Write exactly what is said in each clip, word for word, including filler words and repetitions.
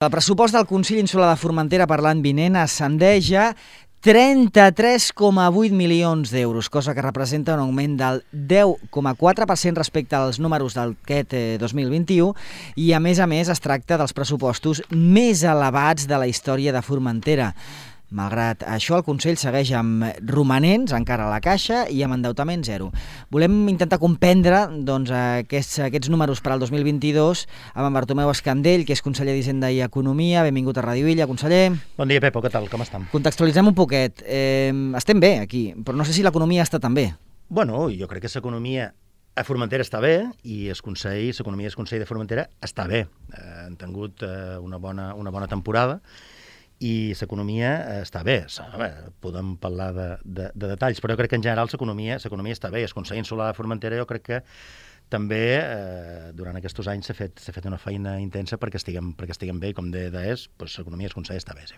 El pressupost del Consell Insular de Formentera per l'any vinent ascendeix a trenta-tres coma vuit milions d'euros, cosa que representa un augment del deu coma quatre per cent respecte als números d'aquest dos mil vint-i-u i, a més a més, es tracta dels pressupostos més elevats de la història de Formentera. Malgrat això, el Consell segueix amb romanents encara a la caixa i amb endeutament zero. Volem intentar comprendre doncs, aquests, aquests números per al dos mil vint-i-dos amb en Bartomeu Escandell, que és conseller d'Hisenda i Economia. Benvingut a Ràdio Illa, conseller. Bon dia, Pepo, què tal? Com estem? Contextualitzem un poquet. Eh, estem bé aquí, però no sé si l'economia està tan bé. Bueno, jo crec que l'economia a Formentera està bé i el Consell, l'economia del Consell de Formentera està bé. Eh, han tingut eh, una, bona, una bona temporada i l'economia està bé. Bé, podem parlar de, de, de detalls, però jo crec que en general l'economia l'economia està bé. El Consell Insular de Formentera jo crec que també eh, durant aquests anys s'ha fet, s'ha fet una feina intensa perquè estiguem, perquè estiguem bé i com de és, doncs l'economia del Consell està bé, sí.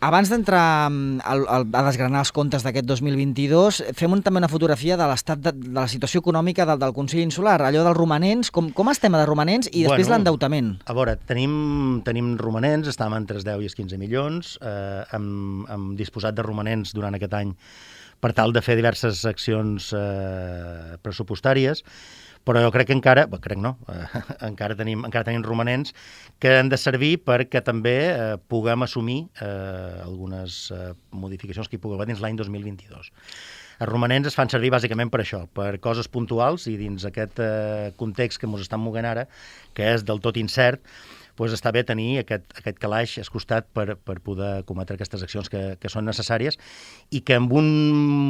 Abans d'entrar a desgranar els comptes d'aquest dos mil vint-i-dos, fem un, també una fotografia de l'estat de, de la situació econòmica del, del Consell Insular, allò dels romanents, com, com estem de romanents i després bueno, l'endeutament. A veure, tenim, tenim romanents, estàvem entre els deu i els quinze milions, eh, hem, hem disposat de romanents durant aquest any per tal de fer diverses accions eh, pressupostàries, però jo crec que encara, bé, crec no, eh, encara, tenim, encara tenim romanents que han de servir perquè també eh, puguem assumir eh, algunes eh, modificacions que hi pugui haver dins l'any dos mil vint-i-dos. Els romanents es fan servir bàsicament per això, per coses puntuals i dins aquest eh, context que ens estan movent ara, que és del tot incert, doncs està bé tenir aquest, aquest calaix al costat per, per poder cometre aquestes accions que, que són necessàries i que en un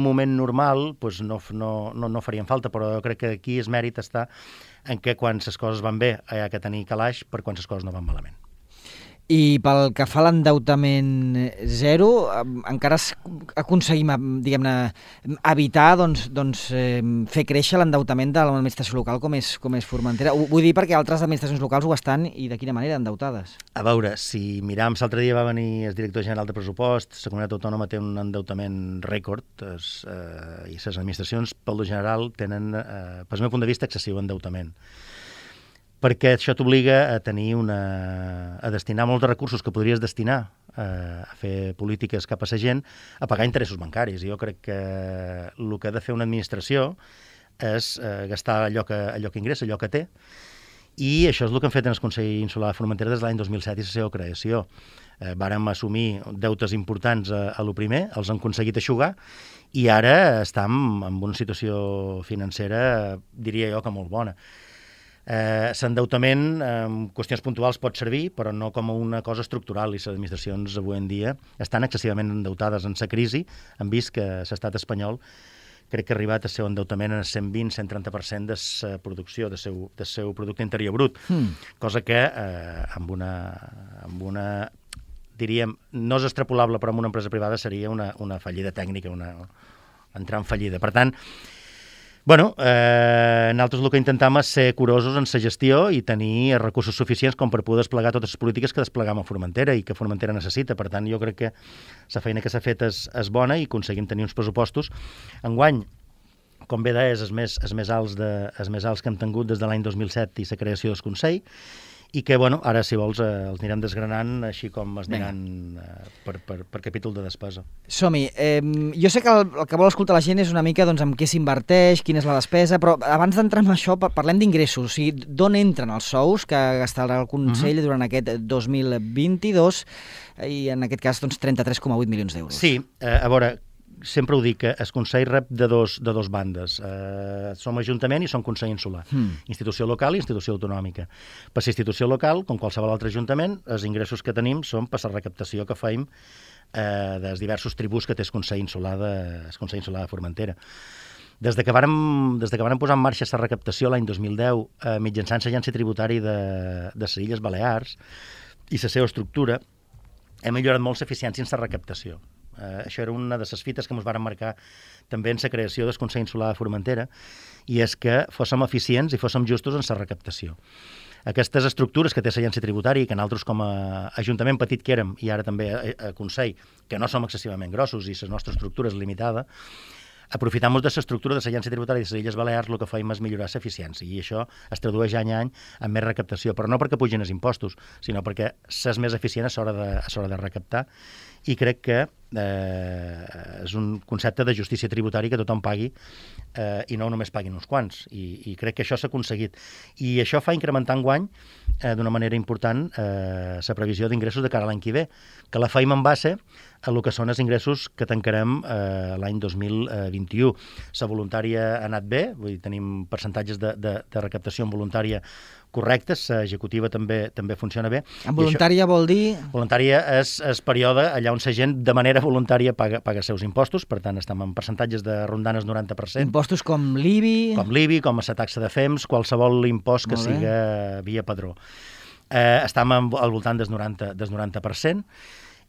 moment normal doncs no, no, no, no farien falta, però jo crec que aquí el mèrit està en què quan les coses van bé hi ha que tenir calaix per quan les coses no van malament. I pel que fa a l'endeutament zero, encara aconseguim, diguem-ne, evitar doncs, doncs, eh, fer créixer l'endeutament de l'administració local com és, com és Formentera. Ho vull dir perquè altres administracions locals ho estan i de quina manera endeutades. A veure, si miram, l'altre dia va venir el director general de pressupost, la comunitat autònoma té un endeutament rècord es, eh, i les administracions, pel lo general, tenen, eh, pel meu punt de vista, excessiu endeutament. Perquè això t'obliga a tenir una... a destinar molts recursos que podries destinar eh, a fer polítiques cap a la gent, a pagar interessos bancaris. I jo crec que el que ha de fer una administració és eh, gastar allò que, allò que ingressa, allò que té, i això és el que han fet en el Consell Insular de Formentera des de l'any dos mil set i la seva creació. Eh, vàrem assumir deutes importants a, a lo primer, els han aconseguit eixugar, i ara estem en una situació financera, diria jo, que molt bona. Eh, l'endeutament en eh, qüestions puntuals pot servir, però no com una cosa estructural, i les administracions avui en dia estan excessivament endeutades. En la crisi hem vist que l'estat espanyol crec que ha arribat al seu endeutament en el cent vint a cent trenta per cent de la producció, del seu, del seu producte interior brut, mm. cosa que eh, amb, una, amb una, diríem, no és extrapolable, però en una empresa privada seria una, una fallida tècnica, una, entrar en fallida. Per tant, Bueno, eh, nosaltres el que intentem és ser curosos en la gestió i tenir recursos suficients com per poder desplegar totes les polítiques que desplegam a Formentera i que Formentera necessita. Per tant, jo crec que la feina que s'ha fet és, és bona i aconseguim tenir uns pressupostos. Enguany, com bé deies, els més, els més alts, de, els més alts que hem tingut des de l'any dos mil set i la creació del Consell, i que, bueno, ara, si vols, eh, els anirem desgranant així com es aniran eh, per, per, per capítol de despesa. Som-hi. Eh, jo sé que el, el que vol escoltar la gent és una mica doncs, amb què s'inverteix, quina és la despesa, però abans d'entrar en això parlem d'ingressos. O sigui, d'on entren els sous que gastarà el Consell uh-huh. durant aquest dos mil vint-i-dos i, en aquest cas, doncs, trenta-tres coma vuit milions d'euros. Sí, eh, a veure, sempre ho dic, que el Consell rep de dos, de dos bandes. Eh, som Ajuntament i som Consell Insular. Hmm. Institució local i institució autonòmica. Per la institució local, com qualsevol altre ajuntament, els ingressos que tenim són per la recaptació que feim eh, dels diversos tributs que té el Consell Insular de, el Consell Insular de Formentera. Des de que vàrem, des de que vàrem posar en marxa la recaptació l'any dos mil deu, eh, mitjançant l'Agència Tributària de, de les Illes Balears i la seva estructura, hem millorat molt l'eficiència en la recaptació. Uh, això era una de les fites que ens varen marcar també en la creació del Consell Insular de Formentera, i és que fóssim eficients i fóssim justos en la recaptació. Aquestes estructures que té l'Agència Tributària, que nosaltres com a Ajuntament petit que érem, i ara també a, a Consell, que no som excessivament grossos i la nostra estructura és limitada, aprofitant-nos de l'estructura de l'Agència Tributària de les Illes Balears, el que fem és millorar l'eficiència, i això es tradueix any a any en més recaptació, però no perquè pugin els impostos, sinó perquè s'és més eficient a l'hora de, a l'hora de recaptar, i crec que eh, és un concepte de justícia tributària que tothom pagui eh, i no només paguin uns quants, i, i crec que això s'ha aconseguit. I això fa incrementar enguany eh, d'una manera important eh, la previsió d'ingressos de cara a l'any que ve, que la feim en base a el que són els ingressos que tancarem eh, l'any dos mil vint-i-u. La voluntària ha anat bé, vull dir, tenim percentatges de, de, de recaptació en voluntària correctes, l'executiva també també funciona bé. En voluntària això, vol dir... Voluntària és el període allà on la gent de manera voluntària paga, paga els seus impostos, per tant estem en percentatges de rondant el noranta per cent. Impostos com l'I B I... Com l'I B I, com la taxa de F E M S, qualsevol impost que siga via padró. Eh, estem al voltant del noranta, del noranta per cent,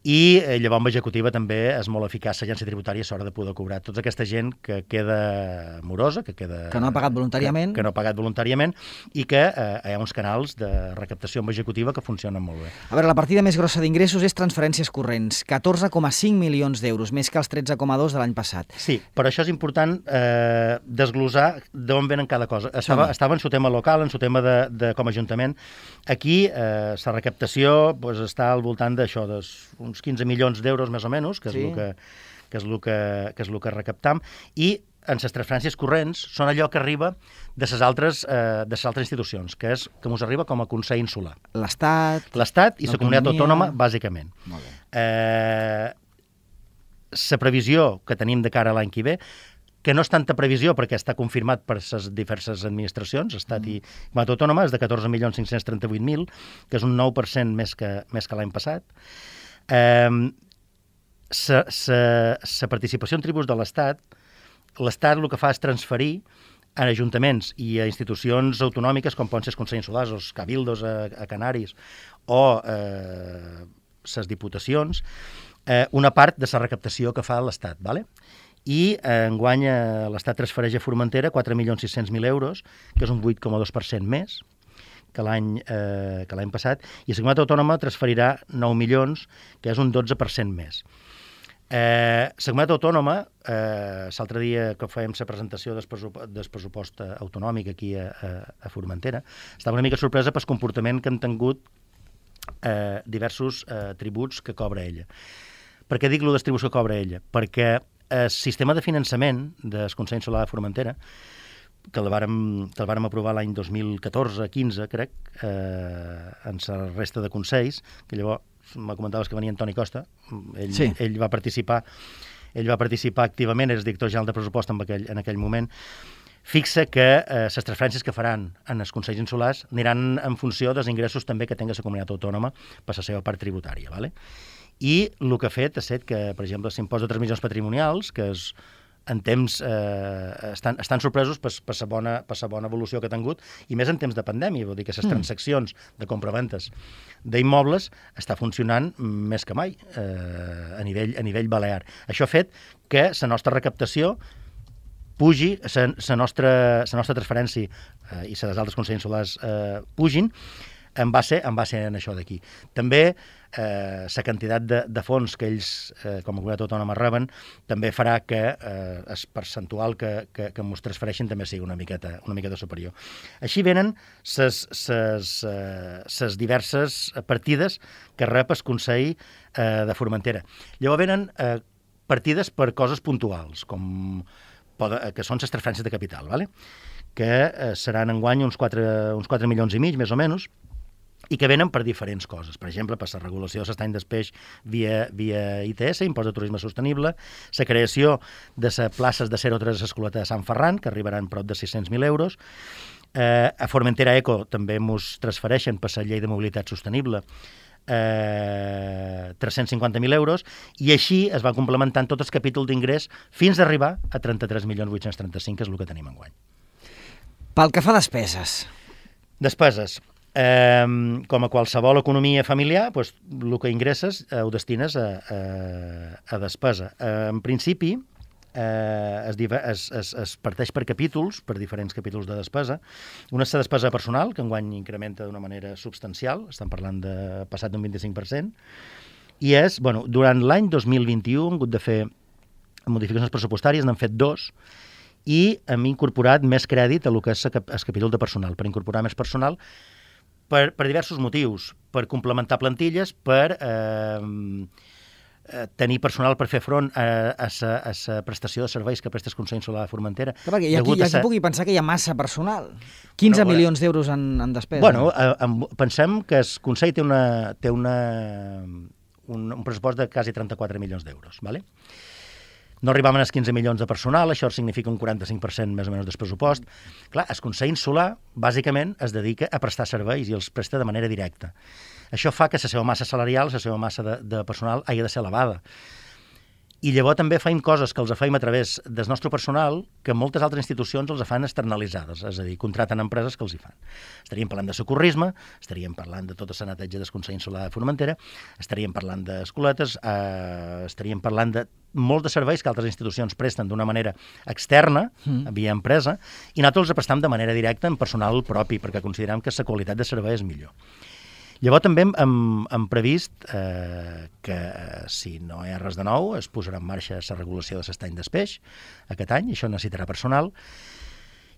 i eh, llavors amb l'executiva també és molt eficaç l'agència tributària a l'hora de poder cobrar tota aquesta gent que queda morosa, que queda... Que no ha pagat voluntàriament. Que, que no ha pagat voluntàriament, i que eh, hi ha uns canals de recaptació amb executiva que funcionen molt bé. A veure, la partida més grossa d'ingressos és transferències corrents, catorze coma cinc milions d'euros, més que els tretze coma dos de l'any passat. Sí, però això és important eh, desglosar d'on venen cada cosa. Estava, estava en su tema local, en su tema de, de com a ajuntament. Aquí eh, la recaptació pues, està al voltant d'això, uns quinze milions d'euros més o menys, que és sí. el que, que és el que, que és el que recaptam, i en les transferències corrents són allò que arriba de les altres, eh, de les altres institucions, que és que ens arriba com a Consell Insular. L'Estat... L'Estat i la comunitat autònoma, bàsicament. Molt bé. Eh, la previsió que tenim de cara a l'any que ve, que no és tanta previsió perquè està confirmat per les diverses administracions, Estat mm. i comunitat autònoma, és de catorze milions cinc-cents trenta-vuit mil, que és un nou per cent més que, més que l'any passat. Eh, la participació en tributs de l'Estat, l'Estat el que fa és transferir a ajuntaments i a institucions autonòmiques com poden ser els Consells Insulars o els cabildos a, a Canaris o les eh, diputacions, eh, una part de la recaptació que fa l'Estat, ¿vale? I eh, enguany eh, l'Estat transfereix a Formentera quatre milions sis-cents mil euros, que és un vuit coma dos per cent més que l'any eh, que l'any passat, i la comunitat autònoma transferirà nou milions, que és un dotze per cent més. Eh, la comunitat autònoma, eh, l'altre dia que fèiem la presentació del pressupost, del pressupost autonòmic aquí a, a, a Formentera, estava una mica sorpresa pel comportament que han tingut eh, diversos eh, tributs que cobra ella. Per què dic la distribució que cobra ella? Perquè el sistema de finançament del Consell Insular de Formentera, que el vàrem, que el vàrem aprovar l'any dos mil catorze quinze, crec, eh, en la resta de consells, que llavors me comentaves que venia Antoni Costa, ell, sí. ell va participar ell va participar activament, és director general de pressupost en aquell, en aquell moment, fixa que eh, les transferències que faran en els consells insulars aniran en funció dels ingressos també que tingui la comunitat autònoma per la seva part tributària, ¿vale? I el que ha fet ha estat que, per exemple, l'impost de transmissions patrimonials, que és en temps eh, estan, estan sorpresos per, per, la bona, per la bona evolució que ha tingut, i més en temps de pandèmia, vol dir que les mm. transaccions de compraventes d'immobles està funcionant més que mai eh, a, nivell, a nivell balear. Això ha fet que la nostra recaptació pugi, la nostra, nostra transferència eh, i les altres consells insulars eh, pugin en base, en base en això d'aquí. També eh, la quantitat de, de fons que ells, eh, com a comunitat autònoma, reben, també farà que eh, el percentual que, que, que ens transfereixin també sigui una miqueta, una miqueta superior. Així venen les diverses partides que rep el Consell eh, de Formentera. Llavors venen eh, partides per coses puntuals, com poden, que són les transferències de capital, ¿vale? Que eh, seran enguany uns quatre, uns quatre milions i mig, més o menys, i que venen per diferents coses. Per exemple, per la regulació de l'estany d'espeix via, via I T S, Impost de Turisme Sostenible, la creació de les places de zero tres escoleta de Sant Ferran, que arribaran prop de sis-cents mil euros. Eh, a Formentera Eco també ens transfereixen per la llei de mobilitat sostenible eh, tres-cents cinquanta mil euros, i així es va complementant tot el capítol d'ingrés fins a arribar a trenta-tres milions vuit-cents trenta-cinc, que és el que tenim enguany. Pel que fa a despeses. Despeses. Eh, com a qualsevol economia familiar, doncs, el que ingresses eh, ho destines a, a, a despesa. Eh, en principi, eh, es, es, es, es parteix per capítols, per diferents capítols de despesa. Una és la despesa personal, que enguany incrementa d'una manera substancial, estem parlant de passat d'un vint-i-cinc per cent, i és, bueno, durant l'any dos mil vint-i-u hem hagut de fer modificacions pressupostàries, n'han fet dos, i hem incorporat més crèdit a lo que és el capítol de personal, per incorporar més personal per, per diversos motius, per complementar plantilles, per eh, tenir personal per fer front a la prestació de serveis que presta el Consell Insular de Formentera. Clar, perquè aquí, aquí ser... pugui pensar que hi ha massa personal. quinze bueno, milions d'euros en, en despesa. Bueno, eh, pensem que el Consell té, una, té una, un, un pressupost de quasi trenta-quatre milions d'euros, ¿vale? No arribaven als quinze milions de personal, això significa un quaranta-cinc per cent més o menys del pressupost. Clar, el Consell Insular, bàsicament, es dedica a prestar serveis i els presta de manera directa. Això fa que la seva massa salarial, la seva massa de, de personal, hagi de ser elevada. I llavors també feim coses que els feim a través del nostre personal que moltes altres institucions els fan externalitzades, és a dir, contraten empreses que els hi fan. Estaríem parlant de socorrisme, estaríem parlant de tota la neteja del Consell Insular de Formentera, estaríem parlant d'escoletes, eh, estaríem parlant de molts de serveis que altres institucions presten d'una manera externa, mm. via empresa, i nosaltres els prestam de manera directa en personal propi, perquè considerem que la qualitat de servei és millor. Llavors també hem, hem previst eh, que, si no hi ha res de nou, es posarà en marxa la regulació de l'estany d'espeix aquest any, això necessitarà personal,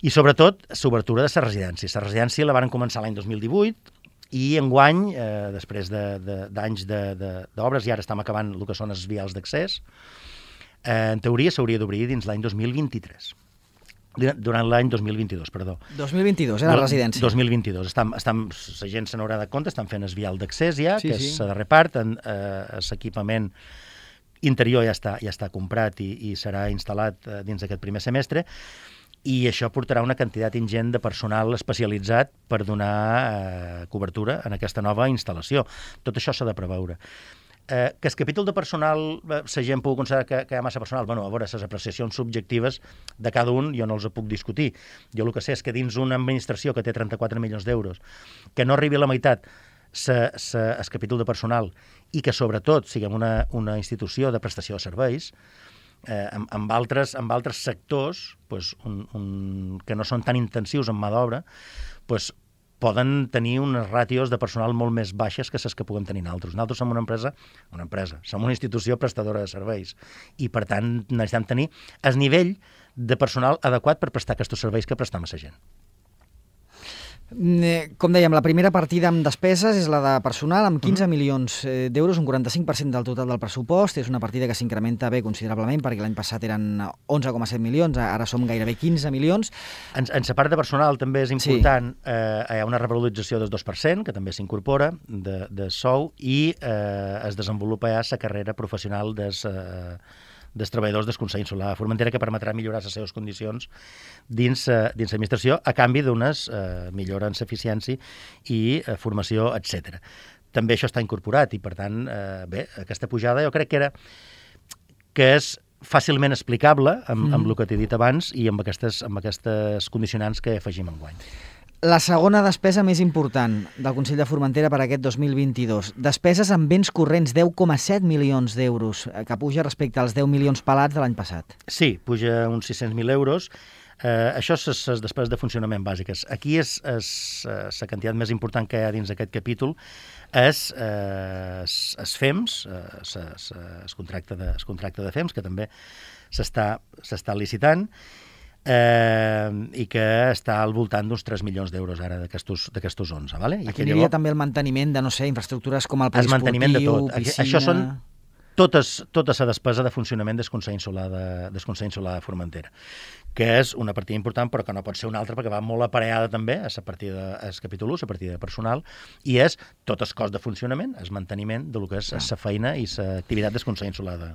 i sobretot l'obertura de la residència. La residència la van començar l'any dos mil divuit, i enguany, eh, després d'anys d'obres, i ara estem acabant el que són els vials d'accés, eh, en teoria s'hauria d'obrir dins l'any dos mil vint-i-tres. Durant l'any dos mil vint-i-dos, perdó. dos mil vint-i-dos, era la residència. dos mil vint-i-dos. Estam, estam, la gent se n'haurà de compte, estan fent el vial d'accés ja, sí, que sí. és de repart, l'equipament interior ja està, ja està comprat i, i serà instal·lat eh, dins d'aquest primer semestre, i això portarà una quantitat ingent de personal especialitzat per donar eh, cobertura en aquesta nova instal·lació. Tot això s'ha de preveure. Eh, que el capítol de personal, la gent pugui considerar que, que hi ha massa personal, bueno, a veure, les apreciacions subjectives de cada un jo no els puc discutir. Jo el que sé és que dins una administració que té trenta-quatre milions d'euros, que no arribi a la meitat sa, sa, el capítol de personal i que sobretot siguem una, una institució de prestació de serveis, eh, amb, amb, altres, amb altres sectors pues, un, un, que no són tan intensius en mà d'obra, pues, poden tenir unes ràtios de personal molt més baixes que les que puguem tenir nosaltres. Nosaltres som una empresa, una empresa, som una institució prestadora de serveis i, per tant, necessitem tenir el nivell de personal adequat per prestar aquests serveis que prestam a la gent. Com dèiem, la primera partida amb despeses és la de personal, amb quinze milions d'euros, un quaranta-cinc per cent del total del pressupost. És una partida que s'incrementa bé considerablement, perquè l'any passat eren onze coma set milions, ara som gairebé quinze milions. En, en la part de personal també és important, sí. eh, hi ha una revalorització del dos per cent, que també s'incorpora, de, de sou, i eh, es desenvolupa ja la carrera professional des... Eh, dels treballadors del Consell Insular de Formentera, que permetrà millorar les seves condicions dins, uh, dins l'administració a canvi d'unes uh, millores en l'eficiència i uh, formació, etcètera. També això està incorporat i, per tant, uh, bé, aquesta pujada jo crec que era que és fàcilment explicable amb, mm. amb el que t'he dit abans i amb aquestes, amb aquestes condicionants que afegim enguany. La segona despesa més important del Consell de Formentera per aquest dos mil vint-i-dos. Despeses en béns corrents, deu coma set milions d'euros, que puja respecte als deu milions pelats de l'any passat. Sí, puja uns sis-cents mil euros. Eh, això és les despeses de funcionament bàsiques. Aquí és, és la quantitat més important que hi ha dins aquest capítol, és eh, es F E M S, eh, el contracte de, contracte de F E M S, que també s'està licitant, Eh, i que està al voltant d'uns tres milions d'euros ara d'aquestos onze. Vale? I aquí hi havia també el manteniment de, no sé, infraestructures com el poliesportiu, el manteniment de tot. Piscina... Això són totes, tota la despesa de funcionament del Consell Insular de, del Consell Insular de Formentera, que és una partida important, però que no pot ser una altra, perquè va molt aparellada també a la partida, al capítol u, la partida de personal, i és tot el cost de funcionament, el manteniment de lo que és la ah. feina i l'activitat del Consell Insular de,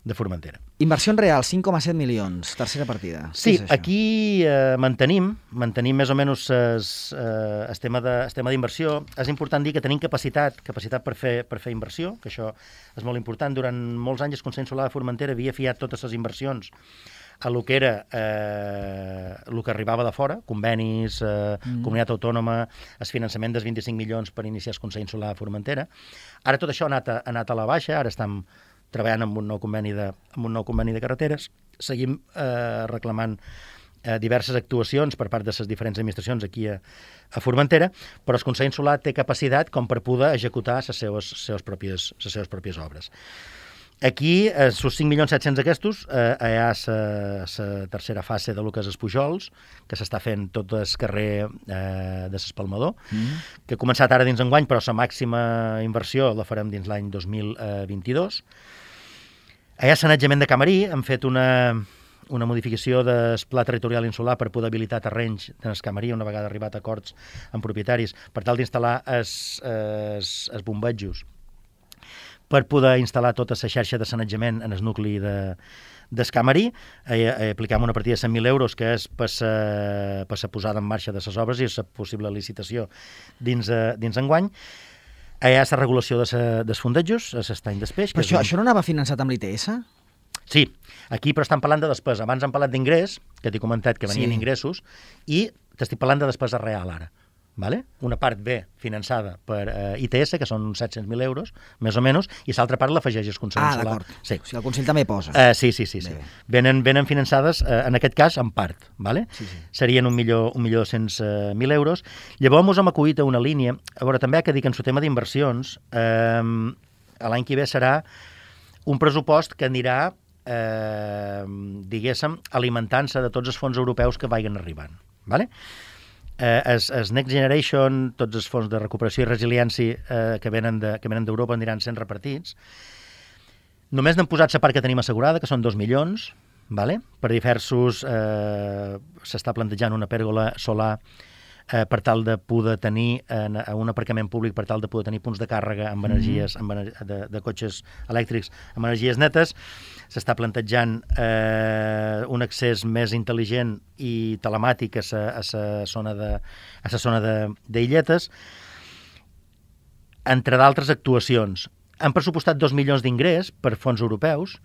de Formentera. Inversions reals, cinc coma set milions, tercera partida. Sí, aquí eh, mantenim, mantenim més o menys es, eh, el tema d'inversió. És important dir que tenim capacitat, capacitat per fer, per fer inversió, que això és molt important. Durant molts anys el Consell Insular de Formentera havia fiat totes les inversions a lo que era eh, el que arribava de fora, convenis, eh, mm. comunitat autònoma, el finançament dels vint-i-cinc milions per iniciar el Consell Insular de Formentera. Ara tot això ha anat a, ha anat a la baixa, ara estem treballant amb un nou conveni de, amb un nou conveni de carreteres, seguim eh, reclamant eh, diverses actuacions per part de les diferents administracions aquí a, a Formentera, però el Consell Insular té capacitat com per poder executar les seves, les seves, pròpies, les seves pròpies obres. Aquí, els cinc milions set-cents aquests, eh, hi ha la tercera fase de lo que és els Pujols, que s'està fent tot el carrer eh, de l'Espalmador, mm. que ha començat ara dins enguany, però la màxima inversió la farem dins l'any dos mil vint-i-dos. Hi ha sanejament de Camarí, hem fet una, una modificació del pla territorial insular per poder habilitar terrenys en el Camarí, una vegada arribat a acords amb propietaris, per tal d'instal·lar els, els, els bombetjos, per poder instal·lar tota la xarxa de sanejament en el nucli de, del Camarí. Eh, eh, aplicam una partida de cent mil euros, que és per la posada en marxa de les obres i la possible licitació dins, eh, dins enguany. Hi ha la regulació de sa, dels fondejos, l'estany d'espeix. Però això, un... això no anava finançat amb l'I T S? Sí, aquí però estan parlant de despesa. Abans hem parlat d'ingrés, que t'he comentat que venien sí. ingressos, i t'estic parlant de despesa real ara. Vale? Una part ve finançada per eh, I T S, que són uns set-cents mil euros, més o menys, i l'altra part l'afegeix el Consell Ah, Insular. d'acord. Sí. O sigui, el Consell també posa. Uh, sí, sí, sí. sí. Venen, venen finançades, uh, en aquest cas, en part. Vale? Sí, sí. Serien un milió, un milió dos-cents mil euros. Llavors, ens hem acollit a una línia. A veure, també ha que dir que en el tema d'inversions, eh, l'any que ve serà un pressupost que anirà, eh, diguéssim, alimentant-se de tots els fons europeus que vagin arribant. Vale? Eh, es, es Next Generation, tots els fons de recuperació i resiliència eh, que venen de, que venen d'Europa aniran sent repartits. Només n'hem posat la part que tenim assegurada, que són dos milions, vale? Per diversos... Eh, s'està plantejant una pèrgola solar eh, per tal de poder tenir en, en un aparcament públic, per tal de poder tenir punts de càrrega amb energies, amb, de, de cotxes elèctrics amb energies netes. S'està plantejant eh, un accés més intel·ligent i telemàtic a la zona de, a la zona de, d'Illetes, entre d'altres actuacions. Han pressupostat dos milions d'ingrés per fons europeus,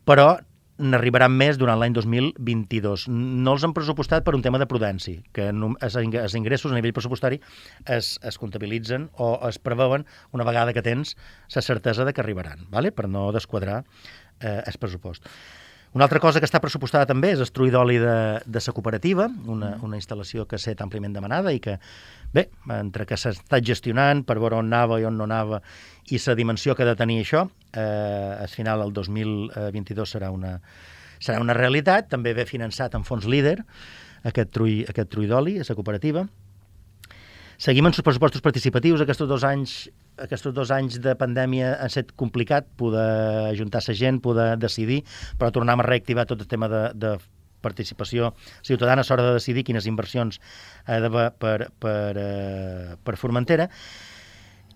però n'arribaran més durant l'any dos mil vint-i-dos. No els han pressupostat per un tema de prudència, que els ingressos a nivell pressupostari es, es comptabilitzen o es preveuen una vegada que tens la certesa de que arribaran, vale? Per no desquadrar eh, el pressupost. Una altra cosa que està pressupostada també és el trull d'oli de, de la cooperativa, una, una instal·lació que ha estat àmpliament demanada i que, bé, entre que s'ha estat gestionant per veure on anava i on no anava i la dimensió que ha de tenir això, eh, al final el dos mil vint-i-dos serà una, serà una realitat. També ve finançat en fons líder aquest trull, aquest trull d'oli a la cooperativa. Seguim amb els pressupostos participatius. Aquests dos anys, aquests dos anys de pandèmia ha estat complicat poder ajuntar la gent, poder decidir, però tornem a reactivar tot el tema de, de participació ciutadana a l'hora de decidir quines inversions ha d'haver per, per, eh, per Formentera.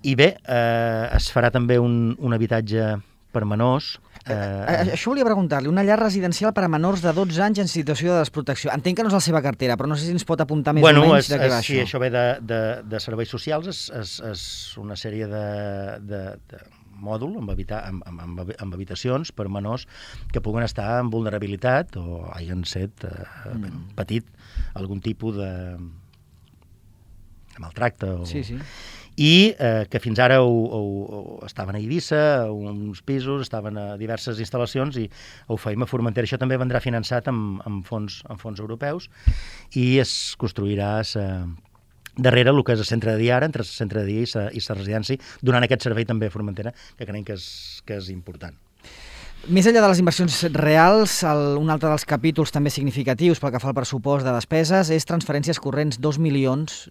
I bé, eh, es farà també un, un habitatge per menors. Eh, eh, això volia preguntar-li, una llar residencial per a menors de dotze anys en situació de desprotecció. Entenc que no és la seva cartera, però no sé si ens pot apuntar més bueno, o menys es, de què va es, això. Sí, això ve de, de, de serveis socials, és, és, és una sèrie de, de, de mòdul amb, habita, amb, amb, amb habitacions per menors que puguen estar en vulnerabilitat o hagin set eh, mm. patit algun tipus de maltracte. O... Sí, sí. I eh, que fins ara ho, ho, ho estaven a Eivissa, a uns pisos, estaven a diverses instal·lacions i ho feim a Formentera. Això també vendrà finançat amb, amb, fons, amb fons europeus i es construirà sa, darrere el que és el centre de dia ara, entre el centre de dia i la, i la residència, donant aquest servei també a Formentera, que creiem que és, que és important. Més enllà de les inversions reals, el, un altre dels capítols també significatius pel que fa al pressupost de despeses és transferències corrents, dos milions.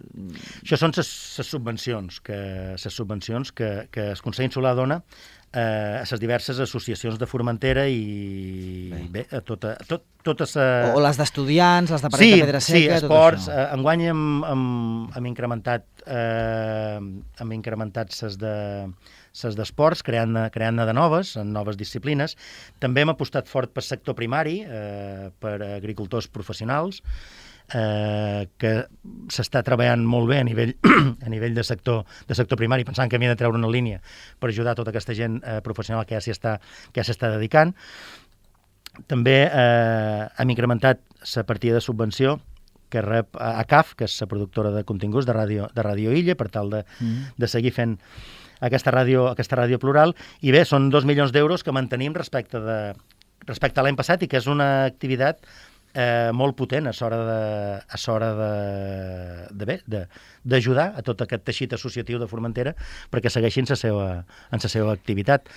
Això són les subvencions que, ses subvencions que, que el Consell Insular dona eh, a les diverses associacions de Formentera i bé, bé a tota, a tot, totes... A... O les d'estudiants, les de Paret sí, de Pedra Seca, sí, esports. Tot això. Eh, enguany hem, hem, hem incrementat eh, hem incrementat ses de ses d'esports, creant, creant de noves, en noves disciplines. També hem apostat fort pel sector primari, eh, per agricultors professionals, eh, que s'està treballant molt bé a nivell, a nivell de, sector, de sector primari, pensant que havia de treure una línia per ajudar tota aquesta gent eh, professional que ja s'hi està, que ja s'està dedicant. També eh, hem incrementat la partida de subvenció que rep a C A F, que és la productora de continguts de Ràdio, de Ràdio Illa, per tal de, mm. de seguir fent aquesta ràdio, aquesta ràdio plural. I bé, són dos milions d'euros que mantenim respecte, de, respecte a l'any passat i que és una activitat eh, molt potent a l'hora de, a l'hora de, de bé, de, d'ajudar a tot aquest teixit associatiu de Formentera perquè segueixin la seva, en la seva activitat.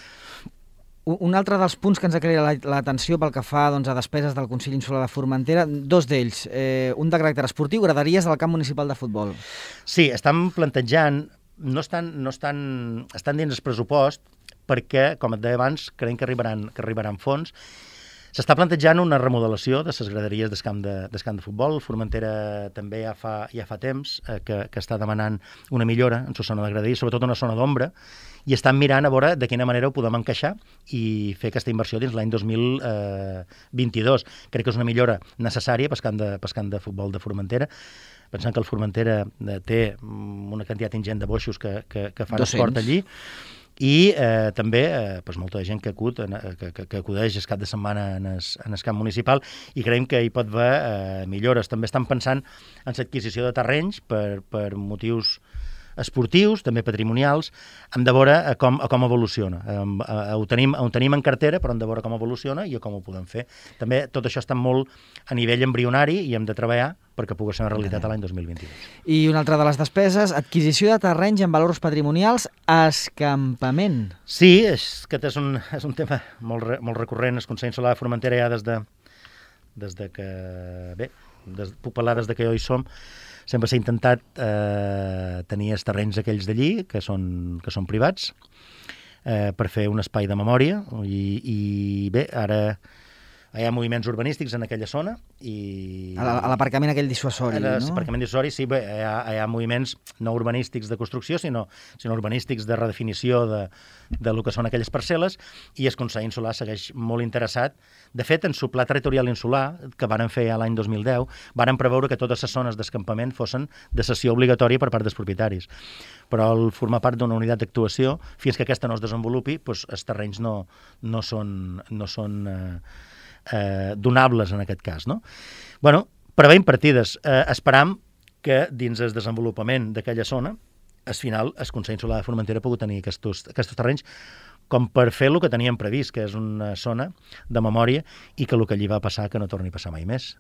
Un altre dels punts que ens ha creat l'atenció pel que fa doncs, a despeses del Consell Insular de Formentera, dos d'ells, eh, un de caràcter esportiu, graderies del camp municipal de futbol. Sí, estan plantejant, no estan, no estan, estan dins el pressupost perquè, com et deia abans, creiem que arribaran, que arribaran fons. S'està plantejant una remodelació de les graderies del camp de, del camp de futbol. Formentera també ja fa, ja fa temps eh, que, que està demanant una millora en la zona de graderies, sobretot una zona d'ombra, i estan mirant a veure de quina manera ho podem encaixar i fer aquesta inversió dins l'any dos mil vint-i-dos. Crec que és una millora necessària pel camp de, pel camp de futbol de Formentera. Pensant que el Formentera té una quantitat ingent de boixos que, que, que fan esport allí, i eh, també eh, pues molta gent que, acut, que, que, que acudeix el cap de setmana en el, en el camp municipal, i creiem que hi pot haver eh, millores. També estan pensant en l'adquisició de terrenys per, per motius esportius, també patrimonials. Hem de veure a com, a com evoluciona. Eh, eh, ho, tenim, ho tenim en cartera, però hem de veure com evoluciona i a com ho podem fer. També tot això està molt a nivell embrionari i hem de treballar perquè pugui ser una realitat a l'any dos mil vint-i-dos. I una altra de les despeses, adquisició de terrenys amb valors patrimonials, escampament. Sí, és, aquest és un, és un tema molt, molt recurrent. El Consell Insular de Formentera ja des de, des de que... Bé, des, puc parlar des de que jo hi som, sempre s'ha intentat eh, tenir els terrenys aquells d'allí, que són, que són privats, eh, per fer un espai de memòria, i, i bé, ara hi ha moviments urbanístics en aquella zona. I a l'aparcament aquell dissuasori, no? L'aparcament dissuasori, sí, bé, hi ha, hi ha moviments no urbanístics de construcció, sinó, sinó urbanístics de redefinició de, de lo que són aquelles parcel·les, i el Consell Insular segueix molt interessat. De fet, en el pla territorial insular, que varen fer l'any dos mil deu, varen preveure que totes les zones d'escampament fossin de cessió obligatòria per part dels propietaris. Però al formar part d'una unitat d'actuació, fins que aquesta no es desenvolupi, doncs els terrenys no, no són... No són eh, Eh, donables en aquest cas, no? Bueno, preveiem partides. Eh, esperam que dins el desenvolupament d'aquella zona, al final, el Consell Insular de Formentera ha pogut tenir aquests, aquests terrenys com per fer el que teníem previst, que és una zona de memòria, i que el que allí va passar que no torni a passar mai més.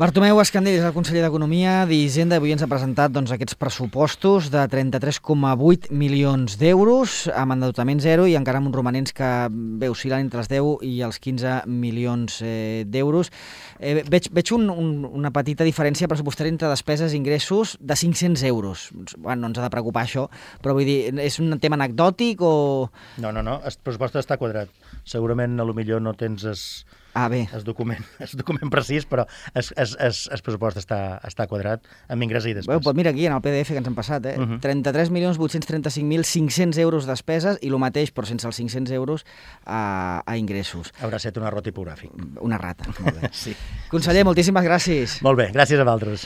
Bartomeu Escandell és el conseller d'Economia, d'Hisenda, i avui ens ha presentat doncs, aquests pressupostos de trenta-tres coma vuit milions d'euros, amb endeutament zero i encara amb uns romanents que bé, oscil·len entre els deu i els quinze milions eh, d'euros. Eh, veig veig un, un, una petita diferència pressupostària entre despeses i ingressos de cinc-cents euros. Bueno, no ens ha de preocupar això, però vull dir, és un tema anecdòtic o... No, no, no, el pressupost està quadrat. Segurament, a lo millor no tens es... Ah, bé. El document, el document precís, però el, el, el, el pressupost està, està quadrat amb ingrés i despesa. Bueno, mira aquí, en el P D F que ens han passat, eh? Uh-huh. trenta-tres milions vuit-cents trenta-cinc mil cinc-cents euros despeses i el mateix, però sense els cinc-cents euros a, a ingressos. Haurà estat un error tipogràfic. Una rata, molt bé. Sí. Conseller, moltíssimes gràcies. Molt bé, gràcies a vosaltres.